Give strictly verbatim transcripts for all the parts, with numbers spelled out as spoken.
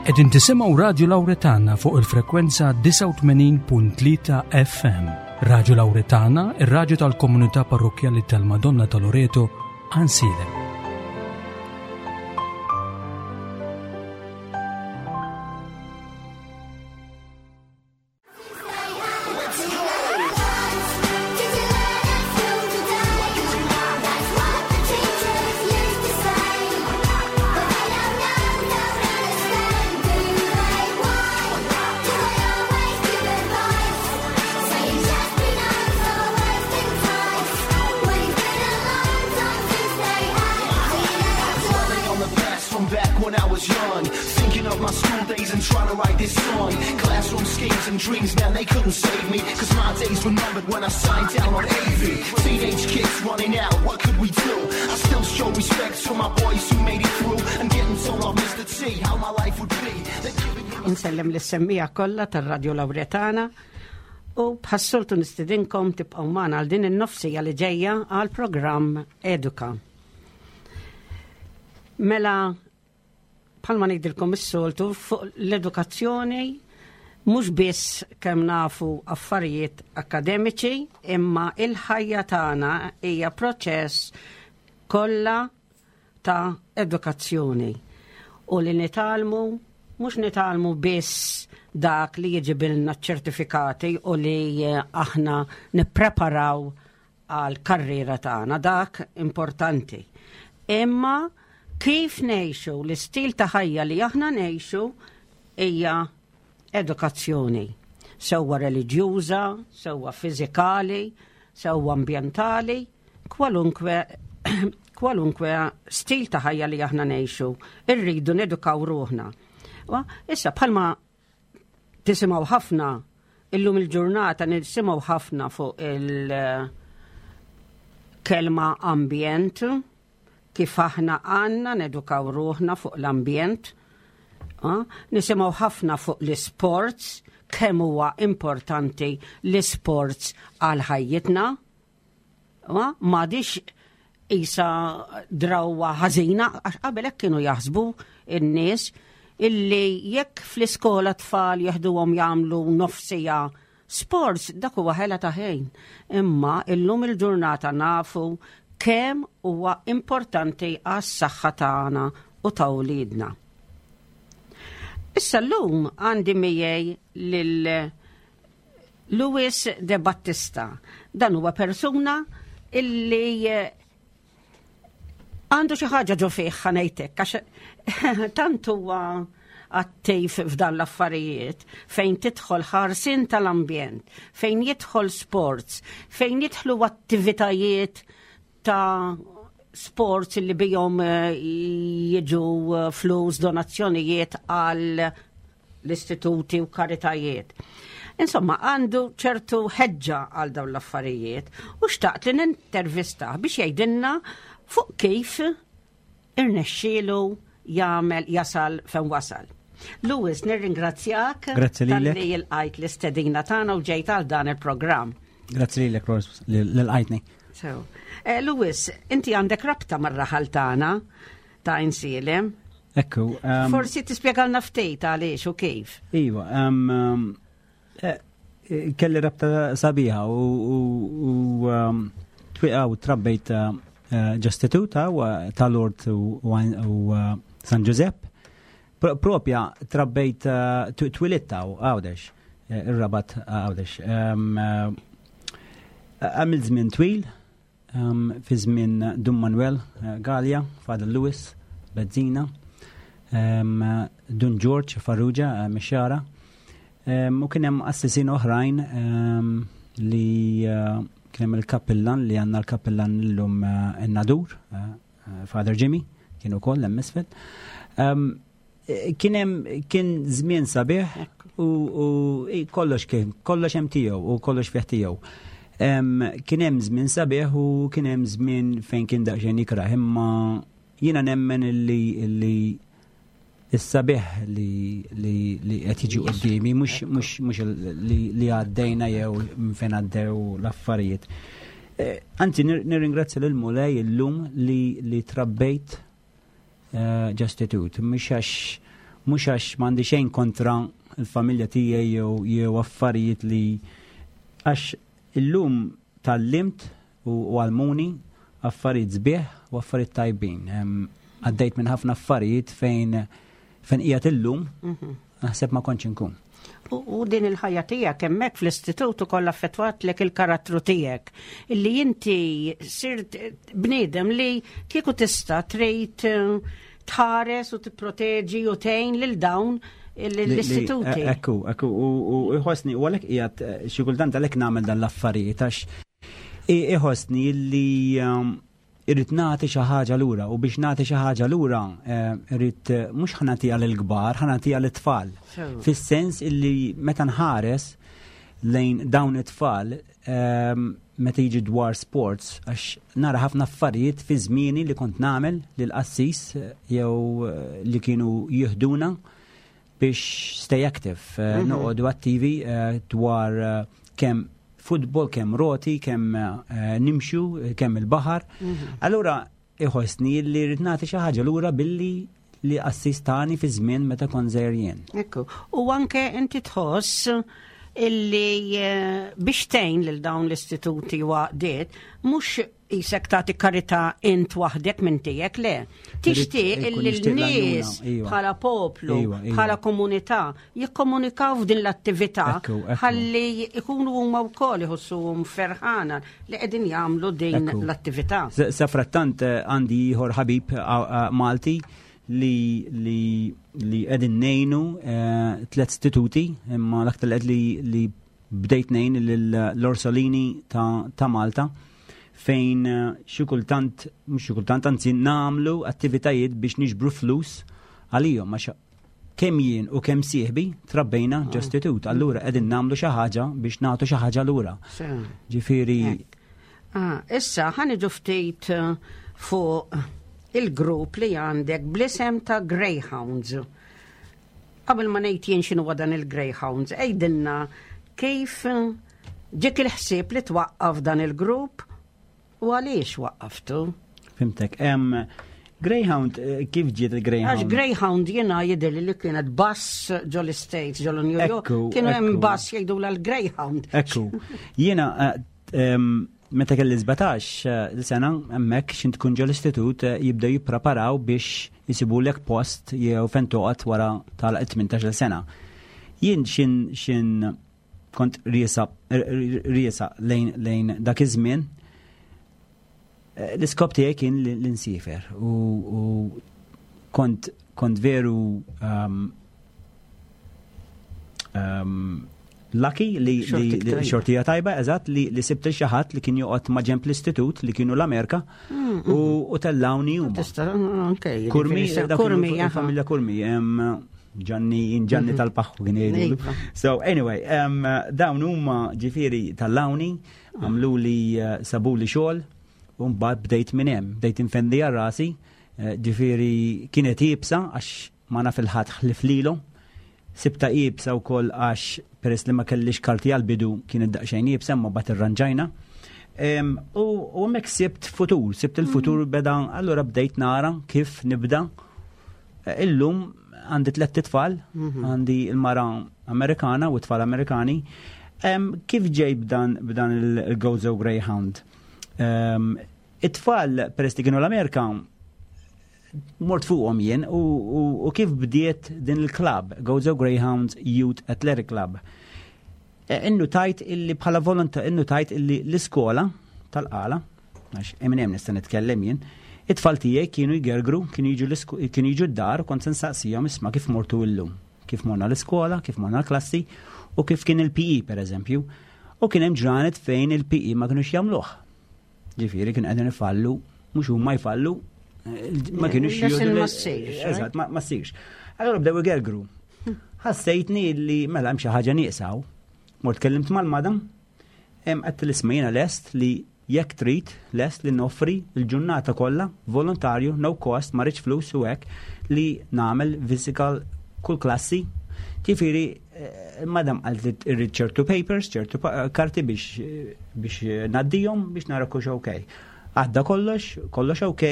Qegħdin tisimgħu Radio Lauretana fuq il-frekwenza disgħa u tmenin punt tlieta F M. Radio Lauretana, ir-raġu tal-komunità parrokjali tal-Madonna ta' Loreto, Għajnsielem. From back when I was young, thinking of my school days and trying to write this song. Classroom schemes and dreams, man, they couldn't save me. 'Cause my days were numbered when I signed down on A V. Teenage kids running out, what could we do? I still show respect to my boys who made it through. And getting told off Mister T how my life would be. They're giving him Insellem lis-semmiegħa kollha tar-Radio Lauretana u bħas-soltu nistidinkom tibqgħu magħna għal din in-nofs siegħa li ġejja għal programm Eduka. Mela, bħalma ngħidilkom is-soltu, fuq l-edukazzjoni mhux biss kemm nafu affarijiet akademiċi, imma il-ħajja tagħna hija proċess kollha ta' edukazzjoni. U li nitgħallmu, mhux nitgħallmu biss dak li jġibilna ċertifikati u li eh, aħna nippreparaw għal karriera tagħna, dak importanti. Imma kif ngħixu, l-istil ta' ħajja li aħna ngħixu hija edukazzjoni. Sewwa reliġjuża, sewwa fiżikali, sewwa ambjentali, kwalunkwe kwalunkwe stil ta' ħajja li aħna ngħixu, irridu nedukaw ruħna. Wa, issa, bħalma tisimgħu ħafna illum il-ġurnata, nisimgħu ħafna fuq il-kelma ambjent, kif aħna għandna nedukaw ruħna fuq l-ambjent. Ah, nisimgħu ħafna fuq l-sports, kemm huwa importanti l-sports għal ħajjitna. Ah, m'għadix isa drawwa ħażina, għax qabel hekk kienu jaħsbu in-nies illi jekk fl-iskola tfal jeħduhom jagħmlu nofs siegħa sports, dak huwa ħela ta' ħin. Imma illum il-ġurnata nafu kemm huwa importanti għas-saħħa tagħna u ta' wliedna. Issa llum għandi miegħi lil Louis De Battista. Dan huwa persuna illi eh, għandu xi ħaġa ġo fih, ħa ngħidlek, għax tant huwa attiv f'dan l-affarijiet fejn tidħol ħarsien tal-ambjent, fejn jidħol sports, fejn jidħlu attivitajiet ta' sports li bihom eh, jiġu eh, flus, donazzjonijiet għal l-istituti u karitajiet. Insomma, għandu ċertu ħeġġa għal dawn l-affarijiet u xtaqt li nintervistah biex jgħidilna fuq kif irnexxielu jagħmel jasal fejn wasal. Louis, nirringrazzjak Grazzi lilek. talli lqajt l-istedina tagħna u ġejt għal dan il-programm. Grazzi lilek, Rose, li lqajtni. So, eh, Louis, inti għandek rabta mar-raħal tagħna ta' Għajnsielem. Ekku. um, Forsi tispjegalna ftit għaliex u kif. Iva, um, um, eh, eh, kelli rabta sabiħa u, u, u um, twiqa u trabbejt uh, ġo istitut u ta' Lourdes u, u, u uh, San Giuseppe. Pro, propja trabbejt uh, tu- twilitta u Għawdex, eh, ir-Rabat Għawdex. Um, uh, Għamil żmien twil, um, fi żmien Dun Manuel uh, Gallia, Father Lewis, Bezzina, um, Dun George Farrugia, uh, Mixxara, um, u kien hemm qassisin oħrajn um, li uh, kien hemm il-kappillan li għandna, l-kappillan illum uh, in-Nadur, uh, uh, Father Jimmy, kien ukoll hemm isfel. Um, kien hemm kien żmien sabiħ u, u i, kollox kien kollox hemm tiegħu u kollox fih tiegħu. Em, Kien hemm żmien sabiħ u kien hemm żmien fejn kien daqsxejn ikrah, imma jiena nemmen illi illi is-sabiħ li li li qed jiġi quddiemi, mhux mhux mhux li li għaddejna jew minn fejn għaddew l-affarijiet. Eh, Anzi, nir- nirringrazzja lil Mulej illum li li trabbejt eh, ġo istitut, mhux għax Mhux għax m'għandi xejn kontra il-familja tiegħi jew jew affarijiet li għax illum tgħallimt u u għallmuni affarijiet sbieħ u affarijiet tajbin. Em, Għaddejt minn ħafna affarijiet fejn fejn qiegħed illum naħseb ma kontx inkun. U, u din il-ħajja tiegħek hemmhekk fl-istitut ukoll affettwatlek il-karattru tiegħek. Illi inti sirt bniedem li kieku tista' trid eh, tħares u tipproteġi u tgħin lil dawn Li- li- l-istituti. Ekku, ekku, u u iħossni, u għalhekk qiegħed eh, xi kultant għalhekk nagħmel dan l-affarijiet għax i- iħossni li um, irrid nagħti xi ħaġa lura u biex nagħti xi ħaġa lura eh, irrid eh, mhux ħa nagħtiha lill-kbar, ħa nagħtiha lit-tfal. Sew. Fis-sens illi meta nħares lejn dawn it-tfal ehm, meta jiġi dwar sports għax nara ħafna affarijiet fi żmieni li kont nagħmel lil qassis eh, jew eh, li kienu jihduna biex stay active, eh, noqogħdu attivi eh, dwar eh, kemm futbol, kemm roti, kemm eh, nimxu, eh, kemm il-baħar. Allura iħossni li rrid nagħti xi ħaġa lura billi li assistani fi żmien meta kont żgħir jien. Ekku. U anke inti tħoss illi eh, biex tgħin lil dawn l-istituti u għaqdiet, mhux qisek tagħti karità int waħdek minn tiegħek le. Tixtieq Irrid- ikun illi nixtieq l-nies l-għajnuna, iva. bħala poplu, Iva, iva. bħala komunità, jikkomunikaw f'din l-attività Ekku, ekku. ħalli ikunu huma wkoll iħossuhom ferħana li qegħdin jagħmlu din Ekku. l-attività. Sa sa frattant eh, għandi ieħor ħabib ah, ah, Malti li li li qegħdin ngħinu eh, tliet istituti imma l-aktar li qed li li bdejt ngħin l-Orsolini ta' ta' Malta fejn eh, xi kultant mhux xi kultant anzi nagħmlu attivitajiet biex niġbru flus għalihom għax kemm jien u kemm sieħbi trabbejna ġo istitut. Allura qegħdin nagħmlu xi ħaġa biex nagħtu xi ħaġa lura. Sew. Ġifieri Ah, issa ħa niġu ftit eh, fuq il-grupp li għandek bl-isem ta' Greyhounds. Qabel ma ngħid jien x'inhu dan il-Greyhounds, għidilna kif eh, ġiek il-ħsieb li twaqqaf dan il-grupp u għaliex waqqaftu? Fhimtek. Em, Greyhound, eh, kif ġiet il-Greyhound? Għax Greyhound jiena jidher li kienet bus ġol States, ġol New York, Ekku, kienu hemm ekku. bus jgħidu l-Greyhound. Ekku, jiena eh, em, meta kelli sbatax eh, sena hemmhekk x'int tkun ġol istitut eh, jibdew jippreparaw biex jisibulek post jew fejn toqgħod wara tal-tmintax-il sena. Jien xin xin kont riesa riesa lejn lejn dak iż-żmien eh, l-iskop tiegħi kien li li nsiefer u, u kont kont veru um, um, lucky li, li, Xortik li tajba. xortija tajba, eżatt, li, li sibt xi ħadd li kien joqgħod ma' ġenb l-istitut li kienu l-Amerika u, u tellawni huma. Tista' anke. Kurmi, jiġifieri, dak kienu Kurmi, aha. il-familja Kurmi, em, Gianni, Gianni tal-Paħħu kien jgħidu. Iva. So anyway, um, dawn huma ġifieri tellawni, għamlu li uh, sabu li xogħol, u mbagħad bdejt minn hemm, bdejt infendi għal rasi, eh, ġifieri kienet iebsa għax ma naf il-ħadd ħlif lilu. Sibta iebsa wkoll għax peress li ma kellix karti għal-bidu kienet daqsxejn iebsa ma mbagħad irranġajna. Em, U u hemmhekk sibt futur, sibt il-futur beda, allura bdejt nara kif nibda. Eh, Illum għandi tliet tfal, għandi il-mara Amerikana u tfal Amerikani. Em, Kif ġej b'dan b'dan il-Gozo Greyhound? Em, It-tfal peress li kienu l-Amerika mort fuqhom jien u, u, u kif bdiet din il-club, Gozo Greyhounds Youth Athletic Club. E, Innu tajt illi bħala volonta, innu tajt illi l-iskola tal-Qala, għax Eminem nista' nitkellem jien, it-tfal tiegħi kienu jgergru, kienu jiġu l-isko- kienu jiġu d-dar, kont se nsaqsihom isma' kif mortu illum, kif morna l-iskola, kif morna l-klassi u kif kien il-P E per eżempju. U kien hemm ġranet fejn il-P E ma kinux jagħmluh. Ġifieri kien qegħdin ifallu, mhux huma jfallu, eh, ma kienux Lesson jieħdu ma le- ssirx, eh? Eżatt, ma ma ssirx. Allora bdew igergru. Ħassejtni li mela hemm xi ħaġa nieqsaw. Mort kellimt mal-madam, hemm qed l-isma jiena lest li jekk trid lest li noffri l-ġurnata kollha volontarju, no cost, ma rridx flus u hekk li nagħmel physical kull klassi. Ġifieri, eh, madam qalt li irrid ċertu papers, ċertu pa- karti biex biex ngħaddihom biex nara kux ok. Għadda kollox, kollox ok,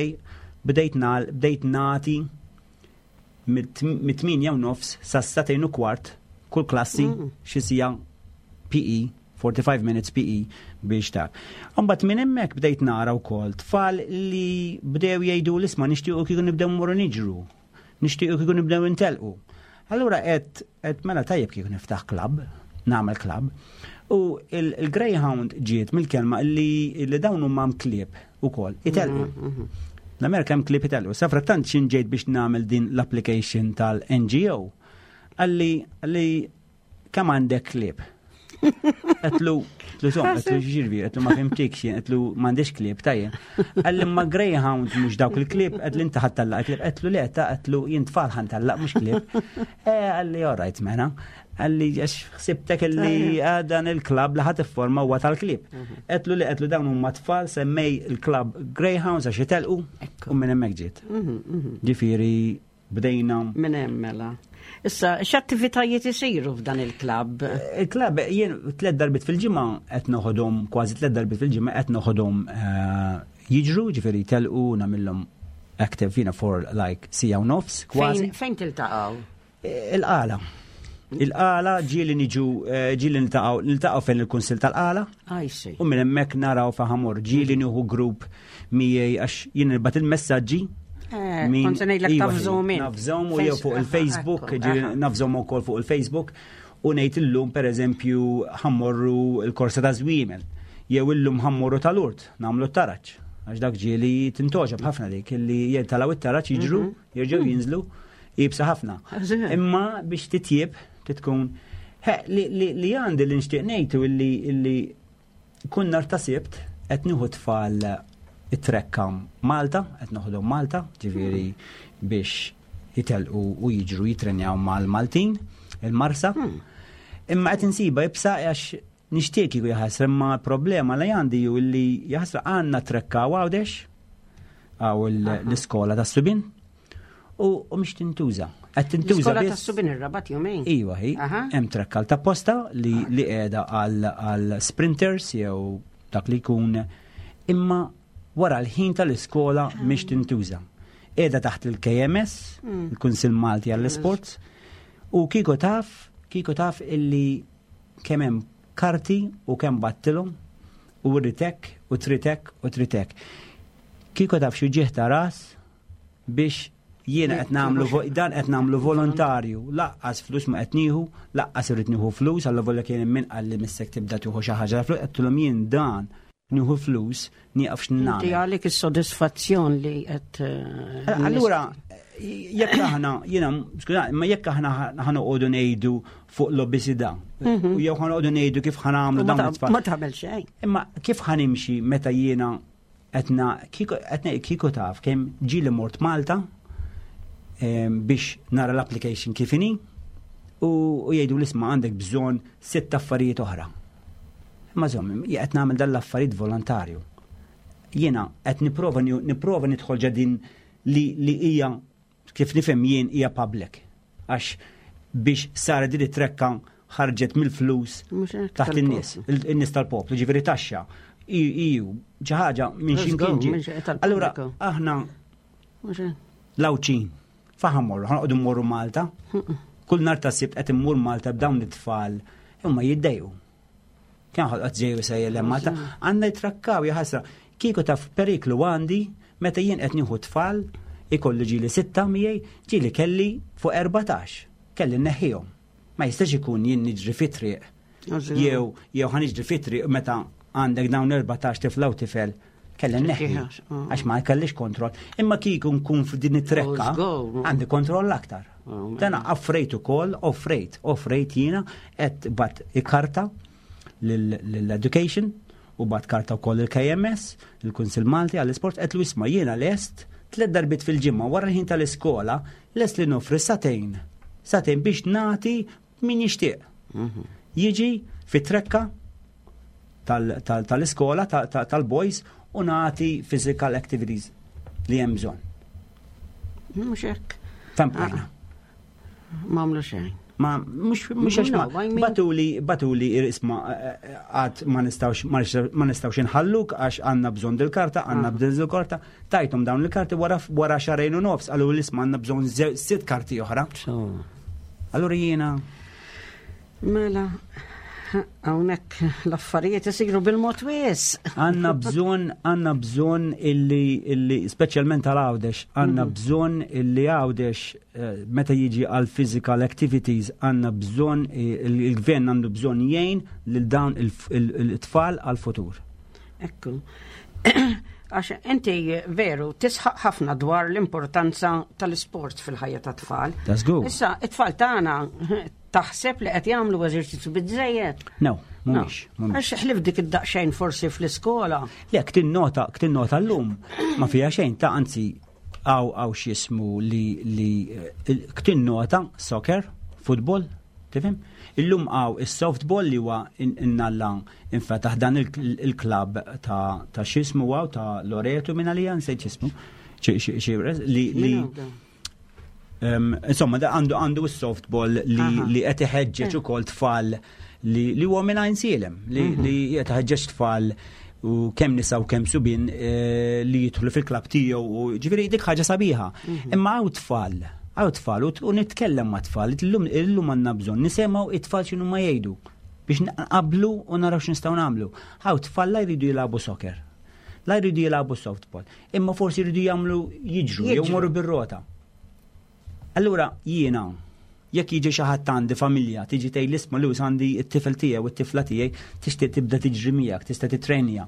bdejt nal, bdejt nati Mit-tmienja u nofs sa sagħtejn u kwart kull klassi xi siegħa P E, forty-five minutes P E biex ta' Mbagħad minn hemmhekk bdejt nara wkoll tfal li bdew jgħidu l-isma' nixtiequ kieku nibdew mmorru niġru, nixtiequ kieku nibdew intelqu. Allura qed qed mela tajjeb kieku niftaħ club, nagħmel club. U il-Greyhound ġiet mill-kelma li li dawn huma klieb ukoll itelqu. L-Amerika hemm klieb itelqu. Safrattant xin ġejt biex nagħmel din l-application tal-N G O. Għalli għalli kemm għandek klieb? Għedtlu, għedtlu som, għedtlu ġirvi, għedtlu ma fhimtikx, għedtlu m'għandix klieb, tajjeb. Għalli ma Greyhound mhux dawk il-klieb, għedtlu inti ħa ttellaq klieb, għedtlu le, ta' għedtlu jien tfal ħa ntellaq mhux klieb. Eh, għalli all right, mela. Għalli għax ħsibtek li dan il-club li ħa tifforma huwa tal-klieb. Għedtlu li għedtlu dawn huma tfal, semmej il-club Greyhounds għax jitelqu u minn hemmhekk ġiet. Ġifieri bdejna. Minn hemm mela. Issa, x'attivitajiet isiru f'dan il-klabb? Il-klabb jien tliet darbit fil-ġimgħa qed noħodhom, kważi tliet darbit fil-ġimgħa qed noħodhom eh, jiġru, ġifieri telqu nagħmilhom active jiena for like siegħa u nofs kważi. Fejn fejn tiltaqgħu? Il-Qala. Il-Qala ġieli niġu eh, ġieli niltaqgħu niltaqgħu fejn il-Kunsill tal-Qala. I see. U minn hemmhekk naraw faħamur ġieli nieħu grupp miegħi għax jien nibgħat il-messaġġi. Eh, Min- kont se ngħidlek Iva, tafżhom int. Nafżhom u jew fuq il-Facebook, Ekku, ġieli aha. nafżhom ukoll fuq il-Facebook u ngħid illum, pereżempju, ħa mmorru il-korsa ta' żwiemel jew illum ħa mmorru tal-Urt nagħmlu t-taraġ. Għax dak ġieli tintgħoġob ħafna dik illi jitilgħu it-taraġ, jiġru, jerġgħu jinżlu, iebsa ħafna. Eżatt. Imma biex titjib titkun He, li, li, li għandi li nixtieq ngħidu illi illi kun nar ta' Sibt qed nieħu tfal it-trekka Malta, qed noħodhom Malta, ġifieri biex jitelqu u jiġru jitrenjaw mal-Maltin, il-Marsa. Imma qed insiba iebsa għax nixtieq kieku jaħasra, imma problema li għandi ju illi jaħasra għandna trekka Għawdex għaw l-iskola ta' subien u u mhix tintuża. Qed tintuża L-iskola biss. ta' subien ir-Rabat jumejn. Iva, hi, Aha. hemm trekka ta' posta li li qiegħda għal għal sprinters jew dak li jkun, imma wara l-ħin tal-iskola mhix tintuża. Qiegħda taħt il-K M S, il-Kunsill Malti għall-Sports, u kieku taf, kieku taf illi kemm hemm karti u kemm bgħattilhom u ritek u tritek u tritek. Kieku taf xi ġieħ ta' ras biex jiena qed nagħmlu vo- dan qed nagħmlu volontarju, lanqas flus ma qed nieħu, lanqas irrid nieħu flus, alla volja kien hemm min qal li missek tibda tieħu xi ħaġa flus, għedtilhom jien dan nieħu flus nieqaf Inti x'nagħmel. għalik is-sodisfazzjon li qed eh, Allura, jekk aħna, jiena, skuża, ma jekk aħna ħa noqogħdu ngħidu fuq l-obesità, u jew ħa noqogħdu ngħidu kif ħa nagħmlu u ma dawn ta' it-tfal. Ma tagħmel xejn. Imma kif ħa nimxi meta jiena etna kieku etna kieku taf kemm ġieli mort Malta em, biex nara l-application kif inhi u u jgħidu l-isma' għandek bżonn sitt affarijiet oħra. Imma żomm, qed nagħmel dan l-affarijiet volontarju. Jiena qed nipprova nipprova nidħol ġadin li li hija kif nifhem jien hija public. Għax biex sara din it-trekka ħarġet mill-flus Mhux hekk taħt in-nies, tal-poplu. il- in-nies tal-poplu, ġifieri taxxa. Iju, xi ħaġa minn Let's x'imkien go, ġie. minn xi- tal-pubbliku. Allura aħna Mhux hekk. l-Għawdxin, fejn ħa mmorru, ħa noqogħdu mmorru Malta. Kull nar ta' Sibt qed immur Malta b'dawn it-tfal, imma jiddejqu. Kien ħolqot ġeju sejjer Malta, għandna jitrakkaw jaħasra. Kieku taf periklu għandi meta jien qed nieħu tfal, ikolli ġieli sitta miegħi, ġieli kelli fuq erbatax. Kelli nneħħihom. Ma jistax ikun jien niġri fit-triq. Jew jew ħa niġri fit-triq meta għandek dawn erbatax tifla u tifel, kelli nneħħi. Għax ma kellix kontroll. Imma kieku nkun f'din it-trekka, għandi kontroll aktar. Dana offrejt ukoll, offrejt, offrejt jiena qed bgħatt karta l-education u bgħatt karta wkoll il-K M S, il-Kunsil Malti għall-Isport, għedtlu isma' jiena lest tliet darbit fil-ġimgħa wara l-ħin tal-iskola lest li nofri sagħtejn. Sagħtejn biex nagħti min jixtieq. Jiġi fit-trekka tal-iskola tal-boys u nagħti physical activities li hemm bżonn. Mhux hekk. Fejn bqajna. M'għamlu xejn. Ma mhux mhux għax ma No, I mean- bagħtuli bagħtuli isma' għad ma nistgħux ma nistgħux inħalluk għax għandna bżonn dil-karta, għandna bżonn dil-karta, tajthom dawn il-karti wara wara xahrejn u nofs, qalu l-isma' għandna bżonn ze- sitt karti oħra. So, Allura jiena mela, hawnhekk l-affarijiet isiru bil-mod wisq. Għandna bżonn, għandna bżonn illi, illi specialment għal Għawdex, għandna bżonn illi Għawdex eh, meta jiġi għal physical activities, għandna bżonn, eh, il-gvern għandu bżonn jgħin lil dawn il-tfal għal futur. Ekku. Għax inti veru tisħaq ħafna dwar l-importanza tal-sport fil-ħajja ta' tfal. That's good. Issa, it-tfal tagħna taħseb li qed jagħmlu eżerċizzju biżejjed. No, mhumiex, mhumiex. Għax ħlief dik id-daqsxejn forsi fl-iskola. Le, ktin nota, ktin nota l-lum, ma fija xejn ta' anzi għaw għaw x'jismu li li eh, ktin nota soccer, football, tifhem? Illum għaw il-softball li huwa innalla infetaħ dan il-klab ta' ta' x'jismu għaw ta' Loreto minn għalija, nsejt x'jismu, li li insomma, da għandu għandu s-softball li li qed iħeġġeġ eh. ukoll tfal li li huwa minn Għajnsielem, li mhm. li qed iħeġġeġ tfal u kemm nisa u kemm subien eh, li jidħlu fil-klab tiegħu u ġifieri dik ħaġa sabiħa. Mhm. Imma hawn tfal, hawn tfal u nitkellem ma' tfal, illum illum għandna bżonn nisimgħu it-tfal x'inhu ma jgħidu biex nqablu u naraw x'nistgħu nagħmlu. Hawn tfal la jridu jilagħbu soccer, la jridu jilagħbu softball, imma forsi jridu jagħmlu jiġru jew morru bir-rota. Allura jiena jekk jiġi xi ħadd għandi familja tiġi tgħid isma' Lewis għandi t-tifel tiegħi u t-tifla tiegħi tixtieq tibda tiġri miegħek, tista' titrenja.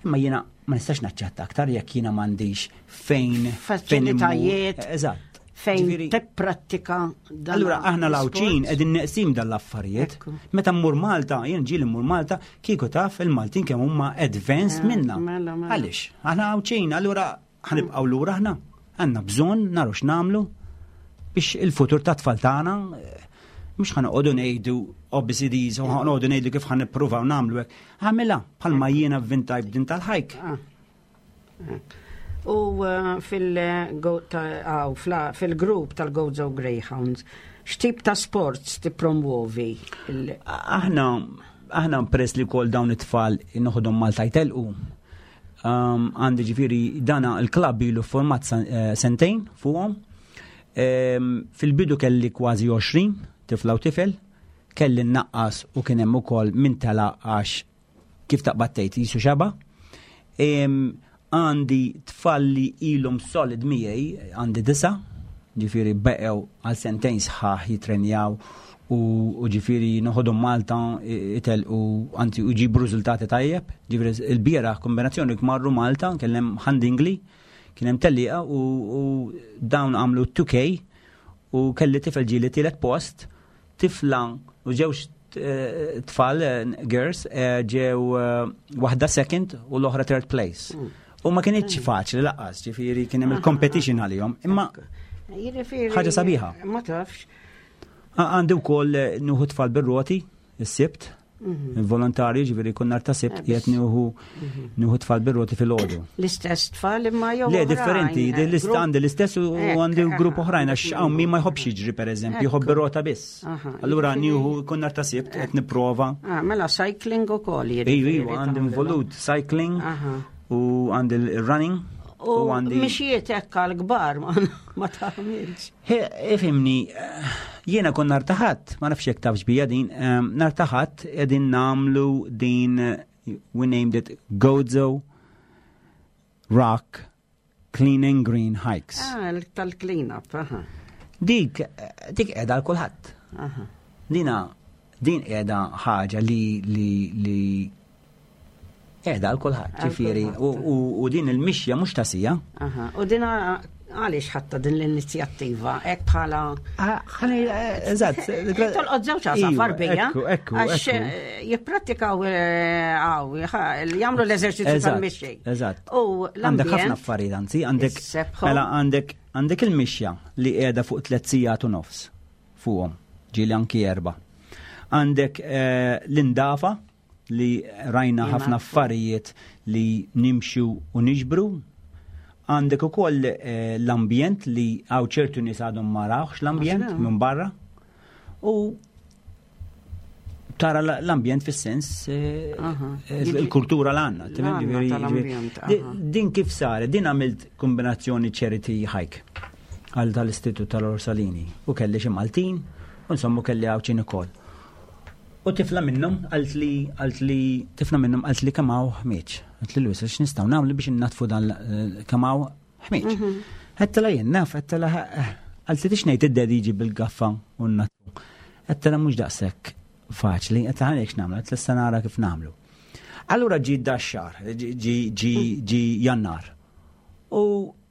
Imma jiena ma nistax naċċetta aktar jekk jiena m'għandix fejn faċilitajiet. Eżatt. Fejn tipprattika. Allura aħna l-Għawdxin qegħdin neqsin dal-affarijiet. Meta mmur Malta, jien ġieli mmur Malta, kieku taf il-Maltin kemm huma advanced eh, minna. Mela, mela. Għaliex? Aħna Għawdxin, allura ħa nibqgħu lura aħna. Għandna bżonn naraw x'nagħmlu biex il-futur ta' tfal tagħna eh, mhux ħa noqogħdu ngħidu O B C Ds u ħa noqogħdu ngħidu kif ħa nippruvaw nagħmlu hekk. Għamilha bħalma jiena vvintajt b'din tal-hike. Ah. U eh, fil-grupp tal-Gozo Greyhounds, x'tip ta' sports tippromuovi? Aħna aħna press li kol dawn it-tfal noħodhom Malta jtelqu. Um, għandi ġifieri dana il-klabb ilu format eh, sentejn fuqhom. Fil-bidu kelli kważi għoxrin tifla u tifel, kelli naqqas u kien hemm ukoll min tela għax kif taqbad tgħid jisu xaba. Għandi tfal li ilhom solid miegħi, għandi disa, ġifieri beqew għal sentejn sħaħ jitrenjaw u u ġifieri noħodhom Malta itel u anzi u ġibu riżultati tajjeb. Ġifieri il-bieraħ kombinazzjoni marru Malta, kellem Ħad-Dingli, kien hemm tellieqa u, u dawn għamlu two K u kelli tifel ġieli tielet post, tifla u ġewx eh, tfal, eh, girls, eh, ġew waħda second u l-oħra third place. U ma kienitx faċli lanqas, ġifieri kien hemm il-competition għalihom, imma Jiġifieri- ħaġa sabiħa. Ma tafx. Għandi wkoll nieħu tfal bir-roti, is-Sibt, volontarju, ġifieri kun nhar ta' Sibt, qiegħed nieħu nieħu tfal bir-roti fil-għodu. L-istess tfal imma jew Le, oħrajn, differenti, eh, l-ist grupp- għandi l-istess u Ekk, għandi grupp aha, oħrajn, għax hawn min ma jħobbx jiġri per eżempju, jħobb bir-rota biss. Aha, Allura jiġifieri- nieħu kun nhar ta' Sibt qed nipprova. Ah, mela cycling u koll Ejju, ejju, għandi involut cycling Aha. u għandi l-running U u għandi. mixiet hekk għal-kbar ma ma tagħmilx. He, ifhimni, eh, jiena kon nhar ta' Ħadd, ma nafx jekk tafx bija din, em, nhar ta' Ħadd qegħdin nagħmlu din, eh, we named it Gozo Rock Clean and Green Hikes. Ah, tal-clean up, aha. Dik, eh, dik qiegħda għal kulħadd. Aha. Dina, din qiegħda ħaġa li li li qiegħda għal kulħadd, Għal ġifieri, u, kulħadd. u, u din il-mixja mhux ta' siegħa. Aha. U dina għaliex ħatta din l-inizjattiva, hekk bħala. Ħani, eżatt. Tolqod żewġ għasafar Iva, bija. Ekku, ekku, Għax ekku. eh, jippratikaw eh, għaw, jagħmlu l-eżerċizzju Eżatt, tal-mixi. Eżatt. U Għandek ħafna l-ambjent. affarijiet, anzi, għandek Is-sebħu. mela għandek għandek il-mixja li qiegħda fuq tliet sigħat u nofs fuqhom, ġieli anki erba. Għandek eh, l-indafa li rajna Jena. ħafna affarijiet li nimxu u niġbru. Għandek ukoll eh, l-ambjent li għaw ċertu nies għadhom ma rawx l-ambjent Għax minn barra. U tara l-ambjent fis-sens eh, il-kultura l-għanna. Din kif saret, din għamilt kombinazzjoni charity hike għal tal-Istitut tal-Orsalini u kelli xi Maltin u insomma kelli Għawdxin ukoll. U tifla minnhom għalt li għalt li tifla minnhom għalt li kemm hawn ħmieġ. Għalt li Luis, x'nistgħu nagħmlu biex innatfu dan eh, kemm hawn ħmieġ. Mhm. Għedtilha jien naf, għedtilha għalt li tix ngħid id-daddy jiġi bil-gaffa u natfu. Għedtilha mhux daqshekk faċli, għedtilha ħalli nagħmlu, għedtilha issa nara kif nagħmlu. Allura ġi dax-xahar, ġi Jannar. U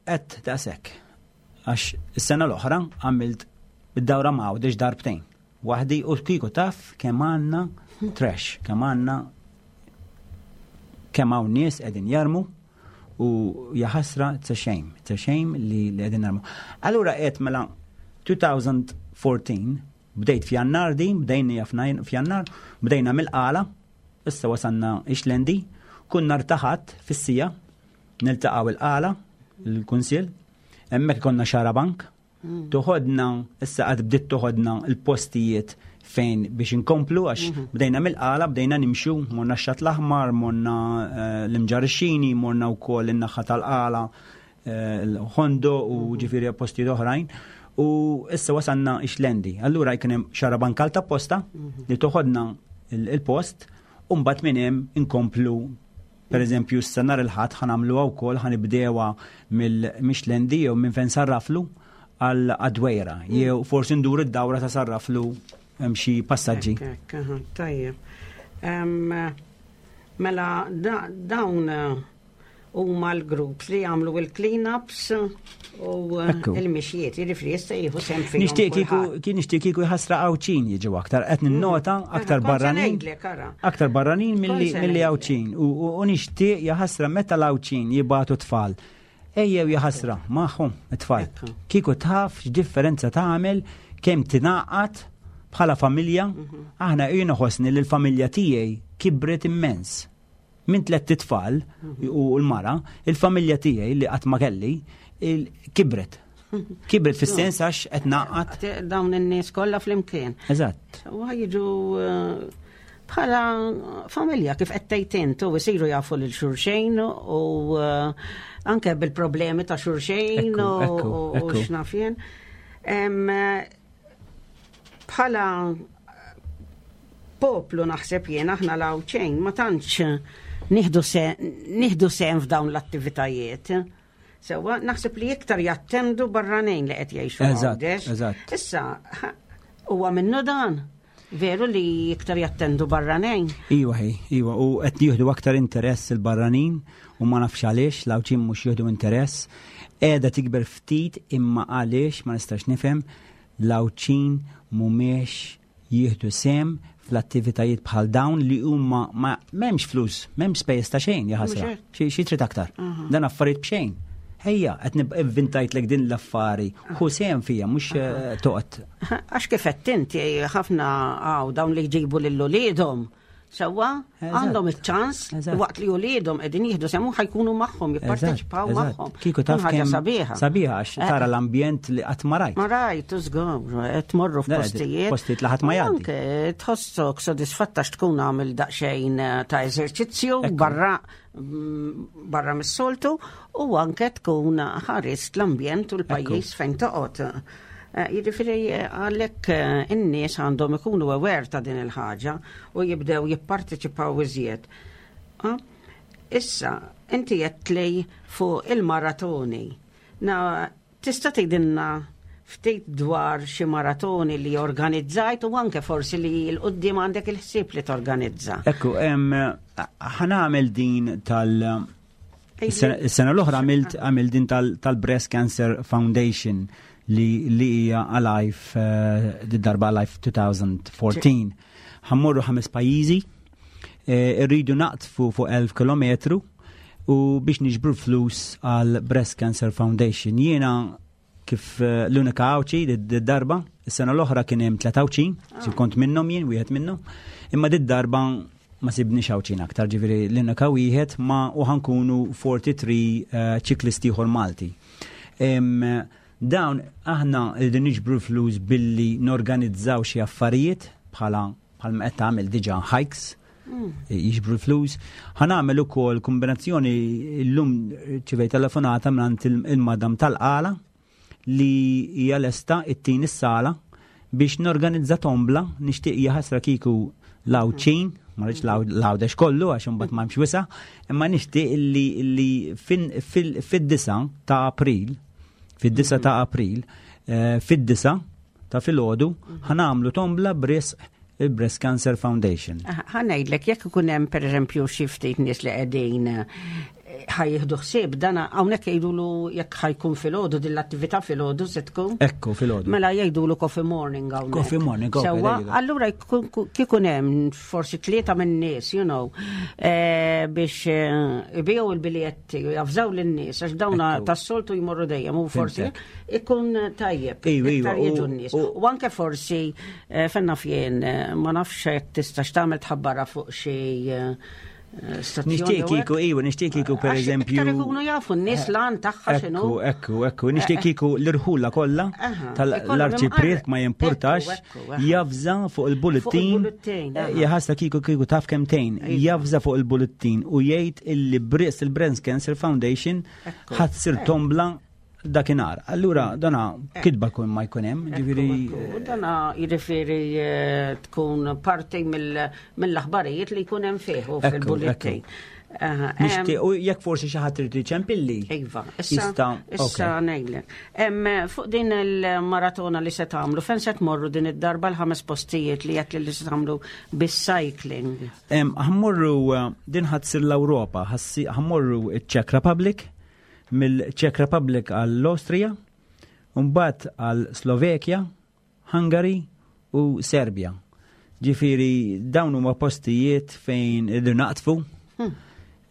għedt daqshekk. Għax is-sena l-oħra għamilt id-dawra m'Għawdex darbtejn. Waħdi u kieku taf kemm għandna trash, kemm għandna kemm hawn nies qegħdin jarmu u jaħasra, it's a shame, it's a shame li qegħdin jarmu. Allura qed mela elfejn u erbatax bdejt f'Jannar din, bdejna f'Jannar, bdejna mill-Qala, issa wasanna Ix-Xlendi, kun nhar ta' Ħadd fis-siegħa, niltaqgħu il-Qala, il-Kunsill, hemmhekk konna xarabank, mm. toħodna, issa għad bdiet toħodna il-postijiet fejn biex inkomplu, għax mhm. bdejna mill-Qala, bdejna nimxu, morna x-Xatt l-Aħmar, morna eh, l-Imġarr ix-Xini, morna wkoll in-naħa tal-Qala, eh, l-Ħondoq u mhm. ġifieri postijiet oħrajn. U issa wasanna Ix-Xlendi. Allura jkun hemm xarabank ta' posta mhm. li toħodna il-post u mbagħad minn hemm inkomplu. Per eżempju, s nhar il-Ħadd ħa nagħmlu wkoll, ħa nibdewha mill-Ix-Xlendi jew minn fejn Sarraflu għal Dwejra, jew forsi ndur id-dawra ta' Sarraflu, hemm xi passaġġi. Tajjeb. Mela dawn huma l-groups li jagħmlu il-clean-ups u il-mixjiet, jiġifieri jista' jieħu sehem fihom. Nixtieq kieku kien nixtieq kieku jħassra Għawdxin jiġu aktar, qed ninnota mm. aktar barranin. Aktar barranin milli Għawdxin u nixtieq jaħasra meta l-Għawdxin jibagħtu tfal. Ejjew jaħasra magħhom it-tfal. Kieku taf x'differenza tagħmel, kemm tingħaqad bħala familja, mhm. aħna jien ħossni li l-familja tiegħi kibret immens minn tliet tfal u l-mara, il-familja tiegħi li qatt ma kelli kibret. Kibret fis-sens għax qed naqgħad. Dawn in-nies kollha flimkien. Eżatt. U jiġu eh, bħala familja, kif qed tgħid int, u isiru jafu lil xulxejn u eh, anke bil-problemi ta' xulxejn u x'naf jien. Bħala poplu naħseb jien aħna l-Għawdxin ma tantx nieħdu sehem f'dawn l-attivitajiet. Sewa, naħseb li iktar jattendu barranin li qed jgħixu Għawdex. Issa, huwa minnu dan? Veru li iktar jattendu barranin? Iwa, hi, iwa, u qed jieħdu aktar interess il-barranin u ma nafx għaliex, l-Għawdxin mhux jieħdu interess. Qiegħda tikber ftit, imma għaliex ma nistax nifhem l-Għawdxin mhumiex jieħdu sehem fl-attivitajiet bħal dawn li huma ma m'hemmx flus, m'hemmx spejjeż ta' xejn, jaħasra. Xi trid aktar? Dan affarijiet b'xejn. Ejja, qed nivvintajtlek din l-affari, ħu sehem fija, mhux eh, toqgħod. Għax kif qed inti, ħafna għaw dawn li jġibu lil uliedhom. Sewwa, għandhom iċ-ċans waqt li uliedhom qegħdin jieħdu sehem ħa jkunu magħhom, jipparteċipaw magħhom. Kieku taf ħaġa sabiħa. Sabiħa għax eh. tara l-ambjent li qatt ma rajt. Ma rajt, żgur, qed tmorru f'postijiet. Postijiet li ħadd ma jgħaddi. Anke tħossok sodisfatta tkun għamil daqsxejn eh, ta' eżerċizzju barra mm, barra mis-soltu u anke tkun ħarist l-ambjent u l-pajjiż fejn toqgħod. Eh, jiġifieri eh, għalhekk eh, in-nies għandhom ikunu aware ta' din il-ħaġa u jibdew jipparteċipaw iżjed. Ah, issa, inti li fuq il-maratoni. Na, tista' tgħidilna ftit dwar xi maratoni li organizzajt u anke forsi li 'l quddiem għandek il-ħsieb li torganizza? Ekku, ħa nagħmel din tal- Is-sena l-oħra għamilt għamilt din tal-Breast Cancer Foundation li li hija Alive, uh, darba Alive elfejn u erbatax. Ħa mmorru ħames pajjiżi, eh, irridu naqtfu fuq elf kilometru u biex niġbru flus għal Breast Cancer Foundation. Jiena kif eh, l-unika Għawdxi darba, is-sena l-oħra kien hemm tliet Għawdxin, si kont minnhom jien, wieħed minnhom, imma did darba ma sibniex Għawdxin aktar, ġifieri l-unika wieħed ma u ħa nkunu tlieta u erbgħin uh, ċiklisti ieħor Malti. Dawn aħna rridu niġbru flus billi norganizzaw xi affarijiet bħala bħalma qed tagħmel diġà hikes jiġbru flus. Ħa nagħmel ukoll kombinazzjoni. Illum rċivejt telefonata minn il-madam tal-Qala li hija lesta it-tin is-sala biex norganizza tombla. Nixtieq, jaħasra kieku l-Għawdxin, ma rridx l-Għawdex kollu għax imbagħad ma hemmx wisa', imma nixtieq li li fid-disa ta' April, fid-disa ta' April, eh, fid-disa ta' filgħodu ħa nagħmlu tombla b'risq il-Breast Cancer Foundation. Ħa ngħidlek, jekk ikun hemm, pereżempju, xi ftit nies li qegħdin eh, ħa jieħdu ħsieb dana hawnhekk, jgħidulu jekk ħa jkun filgħodu din l-attività, filgħodu se tkun? Ekku, filgħodu. Mela jgħidulu coffee morning hawnhekk. Coffee morning, okay, Sewwa, there you go. allura jkun- kikun hemm forsi tlieta minn nies, you know, eh, biex eh, ibiegħu il-biljetti u javżaw lin-nies għax dawna Ekku. tas-soltu jmorru dejjem u forsi Fhimtek. ikun tajjeb. Iva, iva, Iktar jiġu u- n-nies. u- U anke forsi eh, fenna fjien, eh, ma nafx jekk tistax tagħmel tħabbara fuq xi eh, eh, stazzjon Nixtieq jew kieku, hekk. iva, nixtieq kieku per Għax eżempju. iktar ikunu jafu n-nies lan tagħha x'inhu. Ekku, ekku, ekku, nixtieq kieku l-irħula kollha Aha, tal-arċipriet, ikollhom ma jimpurtax, Ekku, ekku, aha. javża fuq il-bulletin. Fuq il-bulletin, aha. Jaħasra kieku kieku taf kemtejn, Iva. javża fuq il-bulletin u jgħid illi b'risq il-Breast Cancer Foundation Ekku. ħa ssir tombla dakinhar. Allura dana kitba kun ma jkun hemm, ġifieri. Ekku, ekku. Dana jiġifieri eh, tkun parti mill- mill-aħbarijiet li jkun hemm fih u Ekku, fil-bulletin. Aha, em, Nixtieq u jekk forsi xi ħadd irid iċempilli. Iva, issa, Jista' issa okej. ngħidlek. Em, fuq din il-maratona li se tagħmlu, fejn se tmorru din id-darba, l-ħames postijiet li qed li se tagħmlu bis-cycling? Em, Ħa mmorru eh, din ħa ssir l-Ewropa, ħassi- ħa mmorru ċ-Czech Republic, mill-Czech Republic għall-Austria, mbagħad għal Slovakia, Hungary u Serbia. Ġifieri dawn huma postijiet fejn irridu naqtfu.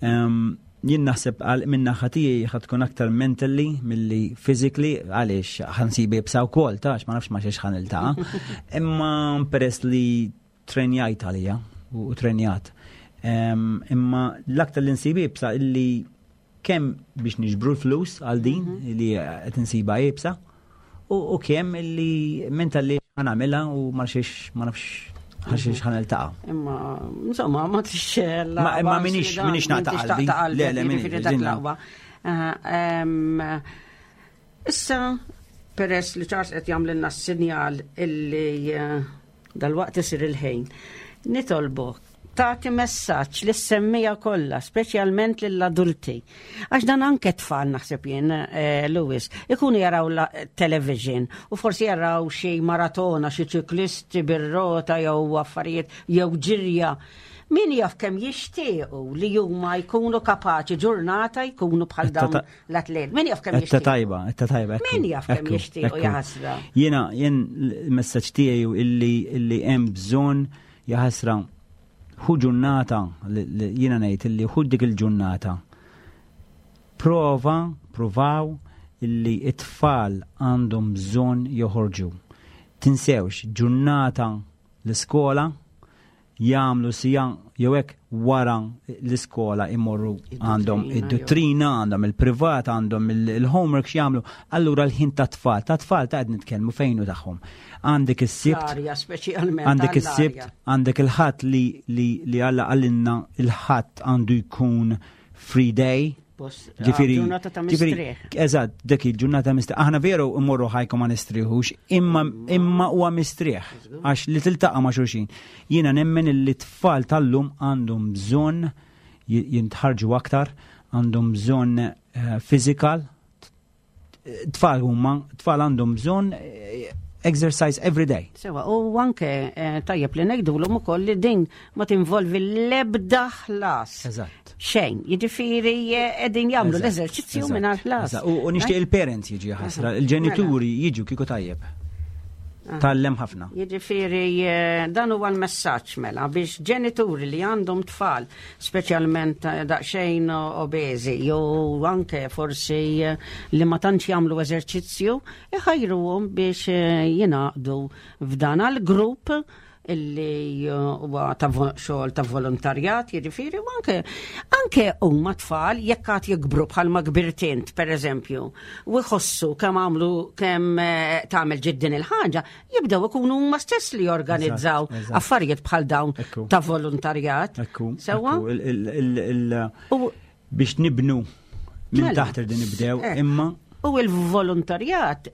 Em, Jien naħseb għal minn naħa tiegħi ħa tkun aktar mentally milli physically, għaliex ħa nsibha iebsa wkoll tax ma nafx ma xiex ħa niltaqa'. Imma peress li trenjajt għalija u u trenjat. Em, Imma l-aktar li nsibha iebsa illi kemm biex niġbru l-flus għal din li qed insiba iebsa u u kemm illi mentally ħa nagħmilha u ma xiex ma nafx ħaxiex ħa niltaqa'. Imma, insomma, ma tix Ma- imma minix- minix naqta' qalbi. Le, le, minix, dak din- l-aqwa. Ah, em, Issa, peress li Charles qed jagħmlilna s-sinjal illi eh, dal-waqt isir il-ħin, nitolbok tagħti messaġġ lis-semmiegħa kollha, speċjalment lill-adulti. Għax dan anke tfal, naħseb jien, eh, Louis, ikunu jaraw la television u forsi jaraw xi maratona, xi ċiklisti bir-rota jew affarijiet jew ġirja. Min jaf kemm jixtiequ li huma jkunu kapaċi ġurnata jkunu bħal Etta dawn ta- l-atlet. Min jaf kemm Etta jixtiequ. tajba, etta tajba. Ekku, Min jaf kemm ekku, jixtiequ, ekku. jaħasra. Jiena, jien il-messaġġ tiegħi illi illi hemm bżonn, jaħasra, ħu ġurnata, li- li jiena ngħid illi ħu dik il-ġurnata. Prova, provaw illi it-tfal għandhom bżonn joħorġu. Tinsewx, ġurnata l-iskola jagħmlu sija jew hekk wara l-iskola imorru għandhom Id-dottrina, id-dottrina, għandhom il-privat, għandhom il- il-homework x'jagħmlu. Allura l-ħin ta' tfal, ta' tfal ta' qed nitkellmu fejnu tagħhom. Għandek is-Sibt, L-arja, speċjalment. għandek is-Sibt, għall-arja. għandek il-Ħadd li li li Alla għallinna il-Ħadd għandu jkun free day. Post- Ġifieri, ah, ġurnata ta' ġifieri, mistrieħ. Eżatt, dik il-ġurnata mistrieħ. Aħna veru immorru ħajkom ma nistrieħux, imma imma huwa mistrieħ għax li tiltaqa' ma' xulxin. Jiena nemmen li tfal tal-lum għandhom bżonn ji- jintħarġu aktar, għandhom bżonn eh, physical. Tfal huma, tfal għandhom bżonn eh, exercise every day. Sewa, u anke eh, tajjeb li ngħidulhom ukoll li din ma tinvolvi l-ebda ħlas. Eżatt. Xejn, jiġifieri eh, qegħdin jagħmlu Eżatt, l-eżerċizzju eżatt, mingħajr ħlas. eżatt. U u nixtieq il-parents jiġi, ħasra, il-ġenituri jiġu kieku tajjeb. Tallem ħafna. Jiġifieri eh, dan huwa l-messaġġ mela biex ġenituri li għandhom tfal, speċjalment eh, daqsxejn obeżi jew anke forsi eh, li ma tantx jagħmlu eżerċizzju, iħajruhom biex eh, jingħaqdu f'dan għall-grupp Illi uh, huwa ta' vo- xogħol ta' volontarjat, jiġifieri, u anke anke huma tfal jekk għad jikbru bħalma kbirt int, pereżempju, u jħossu kemm għamlu kemm eh, tagħmel ġid din il-ħaġa, jibdew ikunu huma stess li jorganizzaw Eżatt, eżatt. affarijiet bħal dawn Ekku. ta' volontarjat. Ekku. Sewwa? Ekku, il- il- il- il- U Biex nibnu minn Mela. taħt irridu nibdew, Eh. imma U il-volontarjat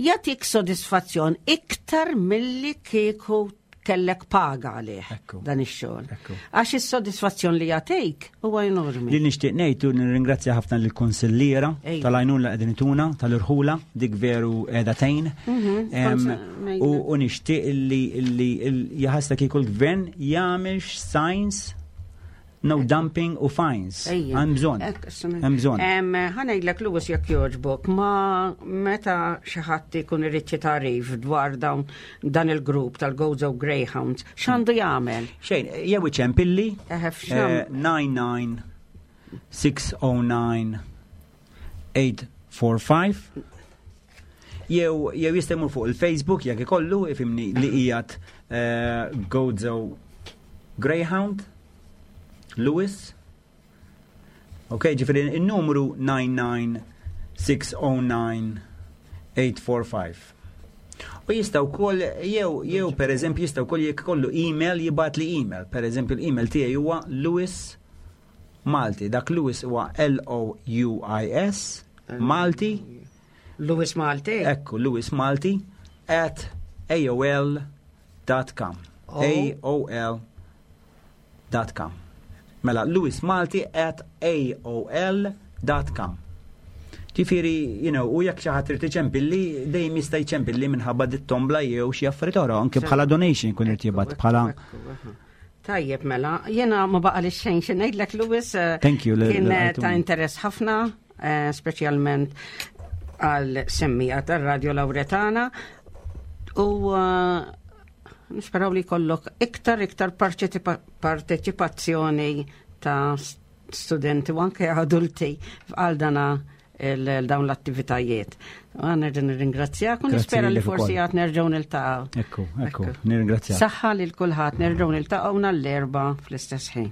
jagħtik sodisfazzjon iktar milli kieku kellek paga għalih Ekku. dan ix-xogħol. Ekku. Għax is-sodisfazzjon li jagħtik huwa enormi. Li nixtieq ngħid u nirringrazzja ħafna lill-kunsilliera Ejja. tal-għajnuna li qegħdin ituna tal-irħula, dik veru qiegħda tgħin. Mhm, Em, kont- U u nixtieq illi illi il- jaħasra kieku l-gvern jagħmel signs no dumping u fines. Ejja. Hemm bżonn. Ekk, s- Hemm bżonn. Em, Ħa ngħidlek, Louis, jekk jogħġbok, ma meta xi ħadd ikun irid xi tagħrif dwar dawn dan il-grupp tal-Gozo Greyhounds, x'għandu jagħmel? Xejn, jew iċempilli Eħe, f'xam- eh, nine nine six oh nine eight four five jew jew jista' jmur fuq il-Facebook jekk ikollu, ifhimni, li qiegħed eh, Gozo Greyhound Louis. Ok, ġifieri il-numru nine nine six oh nine eight four five. U jista' wkoll jew jew per eżempju jista' wkoll jekk ikollu email jibgħat li email. Per eżempju l-email tiegħi huwa Louis Malti. Dak Louis huwa L O U I S Malti. Louis Malti. Ekku, Louis Malti at A O L dot com. Oh. A O L dot com. Mela, Louis Malti at A O L dot com. Ġifieri, you know, u jekk xi ħadd irid iċempilli, dejjem jista' jċempilli minħabba dit-tombla jew xi affarijiet oħra, anke bħala donation kun irid jibgħat bħala. Ekku, ekku. Tajjeb, mela, jena ma baqa li xejn xi ngħidlek, Louis. eh, Thank you, li- Kien li eh, għajtuni. ta' interess ħafna, eh, speċjalment għal semmiegħa tar-Radio Lauretana u eh, nisperaw li jkollok iktar iktar parteċipa- parteċipazzjoni ta' studenti u anke adulti għal dana il- dawn l-attivitajiet. Għan nerġa' nirringrazzjak u Grazzi nispera li lilek forsi ukoll. għad nerġgħu niltaqgħu. Ekku, ekku, nirringrazzjak. Saħħa lil kulħadd, nerġgħu niltaqgħu nhar l-Erbgħa fl-istess ħin.